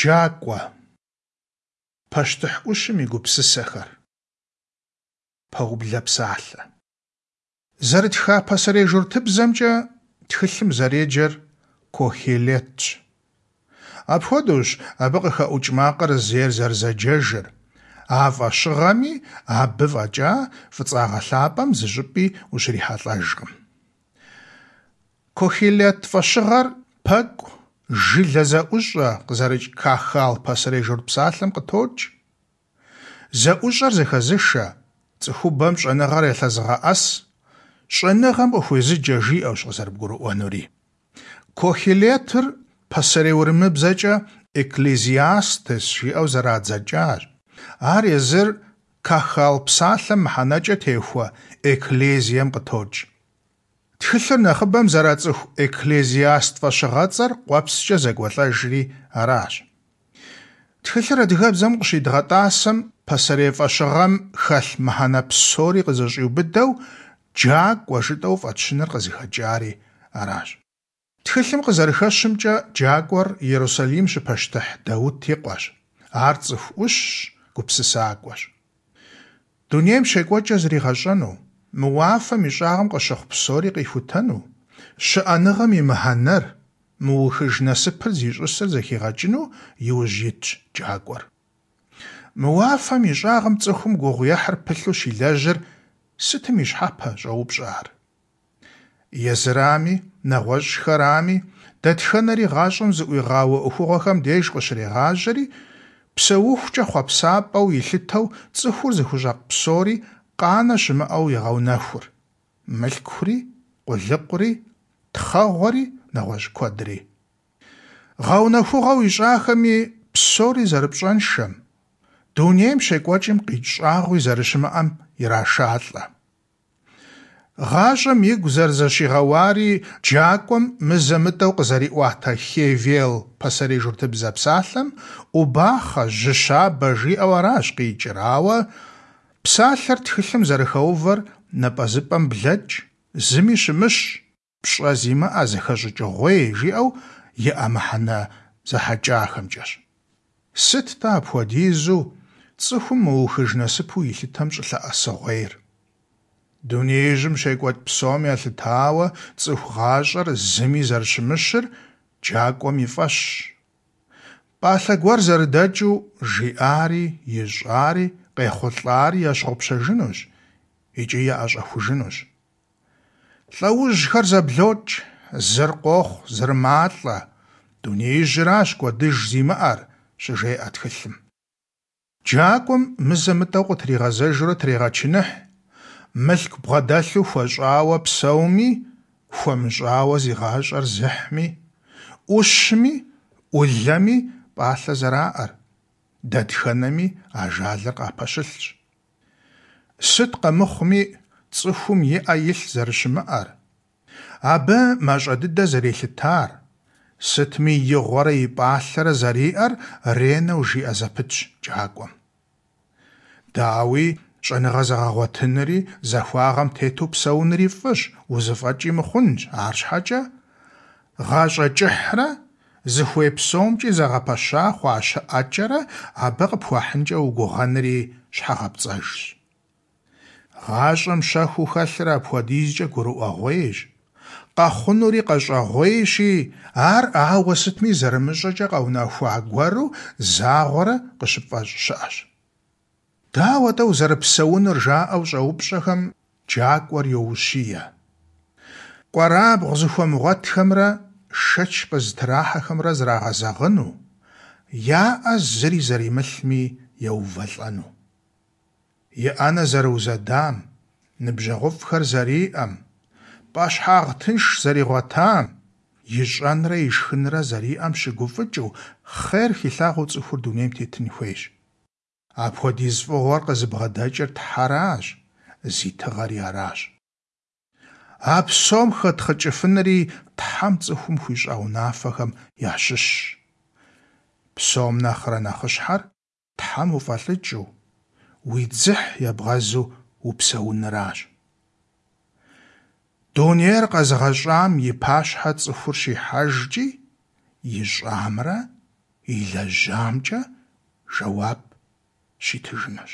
Джакӏуэ. Пащтыхь ӏущым и гупсысэхэр. Пэублэ псалъэ. Зэрытха пасэрей журтыбзэмкӏэ тхылъым зэреджэр Кохелетщ. Апхуэдэущ абы къыхэӏукӏ макъыр зейр зэрызэджэжыр, а фӏэщыгъэми абы фӏэкӏа Фӏыцӏагъэ лъапӏэм зыщӏыпӏи ущрихьэлӏэжкъым. Кохелет фӏэщыгъэр пэкӏу, жылэ зэӏущӏэ къызэрыкӏ кахал пасэрей журт псалъэм къытокӏ. Зэӏущӏэр зэхэзышэ, цӏыхубэм щӏэныгъэр ялъэзыгъэӏэс, щӏэныгъэм къыхуезыджэ жиӏэущ къызэрыбгурыӏуэнури. Кохелетыр пасэрей урымыбзэкӏэ Экклезиастес жиӏэу зэрадзэкӏащ. Ар езыр кахал псалъэм мыхьэнэкӏэ техуэ экклезием къытокӏ. Тхылъыр нэхъыбэм зэрацӏыху Экклезиаст фӏэщыгъэцӏэр къуэпскӏэ зэкӏуэлӏэжри аращ. Тхылъыр адыгэбзэм къыщидгъэтӏасэм пасэрей фӏэщыгъэм хэлъ мыхьэнэ псори къызэщӏиубыдэу Джакӏуэ жытӏэу фӏэтщыныр къызыхэкӏари аращ. Тхылъым къызэрыхэщымкӏэ, Джакӏуэр Иерусалим щыпащтыхь Даут и къуэщ. Ар цӏыху ӏущщ, гупсысакӏуэщ. Дунейм щекӏуэкӏыр зригъэщӏэну, мы уафэм и щӏагъым къыщыхъу псори къихутэну, щыӏэныгъэм и мыхьэнэр, мыухыж насыпыр зищӏысыр зэхигъэкӏыну иужь итщ Джакӏуэр. Мы уафэм и щӏагъым цӏыхум гугъуехьыр пылъу щилэжьыр сытым и щхьэпэ, щӏоупщӏэ ар. Езырами, нэгъуэщӏхэрами, дэтхэнэри гъащӏэм зыӏуигъауэ ӏуэхугъуэхэм деж къыщрегъажьэри, псэухукӏэ хъуэпсапӏэу илъытэу цӏыхур зыхущӏэкъу псори къанэ щымыӏэу егъэунэхур, мылъкури, къулыкъури, тхъэгъуэри, нэгъуэщӏ куэдри. Гъэунэхугъэу ищӏахэми псори зэрыпщӏэншэм, дунейм щекӏуэкӏым къикӏ щӏагъуи зэрыщымыӏэм ирашалӏэ. Гъащӏэм игу зэрызэщигъэуари джакӏуэм мызэ-мытӏэу къызэриӏуатэ хевел пасэрей журтыбзэ псалъэм ӏубахъэ, жьы щабэ жиӏэу аращ къикӏыр, ауэ псалъэр тхылъым зэрыхэувэр напӏэзыпӏэм блэкӏ, зыми щымыщ, пщӏэ зимыӏэ, зэхэщӏыкӏыгъуей жиӏэу иӏэ мыхьэнэ зэхьэкӏахэмкӏэщ. Сыт-тӏэ апхуэдизу цӏыхум мыухыж насыпу илъытэм щӏылъэӏэсыгъуейр? Дунеижьым щекӏуэкӏ псом елъытауэ цӏыху гъащӏэр зыми зэрыщымыщыр джакӏуэм и фӏэщщ. Пӏалъэ гуэр зэрыдэкӏыу жиӏари, ищӏари, къехъулӏари ящыгъупщэжынущ икӏи яӏэщӏэхужынущ. Лӏэужьхэр зэблокӏ, зыр къохъу, зыр малӏэ, дунеижьыращ кӏуэдыж зимыӏэр, щыжеӏэ тхылъым. Джакӏуэм мызэ-мытӏэу къытригъэзэжурэ трегъэчыныхь, мылъку бгъэдэлъу хуэщӏауэ псэуми, хуэмыщӏауэ зи гъащӏэр зыхьми, ӏущми, ӏулэми пӏалъэ зэраӏэр, дэтхэнэми ажалыр къапэщылъщ. Сыт къэмыхъуми, цӏыхум и ӏэ илъ зэрыщымыӏэр, абы мащӏэ дыдэ зэрелъытар, сытми и гъуэрэ и пӏалъэрэ зэриӏэр ренэу жиӏэ зэпытщ джакӏуэм. Дауи, щӏэныгъэ зэгъэгъуэтынри, захуагъэм тету псэунри фӏыщ, узыфӏэкӏи мыхъунщ, арщхьэкӏэ гъащӏэ кӏыхьрэ зыхуей псомкӏи зэгъэпэща хъуа щыӏэкӏэрэ абы къыпхуахьынкӏэ угугъэнри щхьэгъэпцӏэжщ. Гъащӏэм щэхуу хэлъыр апхуэдизкӏэ гурыӏуэгъуейщ, къэхъунури къэщӏэгъуейщи, ар ауэ сытми зэрымыщӏэкӏэ къэунэхуа гуэру загъуэрэ къыщыпфӏэщӏ щыӏэщ. Дауэ-тӏэ узэрыпсэунур жаӏэу щӏэупщӏэхэм джакӏуэр йоущие. Кӏуэрабгъу зыхуэмыгъуэтхэмрэ шэч къызытрахьэхэмрэ зрагъэзэгъыну, я ӏэ зыри зэримылъми еувэлӏэну. И ӏэнэ зэрыузэдам, ныбжьэгъуфӏхэр зэриӏэм, пӏэщхьагъ тынш зэригъуэтам, ищӏэнрэ ишхынрэ зэриӏэм щыгуфӏыкӏыу, хъер хилъагъуэу цӏыхур дунейм тетын хуейщ. Апхуэдиз фӏыгъуэр къызыбгъэдэкӏыр Тхьэращ, зи тыгъэри аращ. А псом хэтхъыкӏыфынри Тхьэм цӏыхум хуищӏа унафэхэм ящыщщ. Псом нэхърэ нэхъыщхьэр Тхьэм уфӏэлӏыкӏыу, уи дзыхь ебгъэзу упсэуныращ. Дунейр къэзыгъэщӏам и пащхьэ цӏыхур щихьэжкӏи, ищӏамрэ илэжьамкӏэ жэуап щитыжынущ.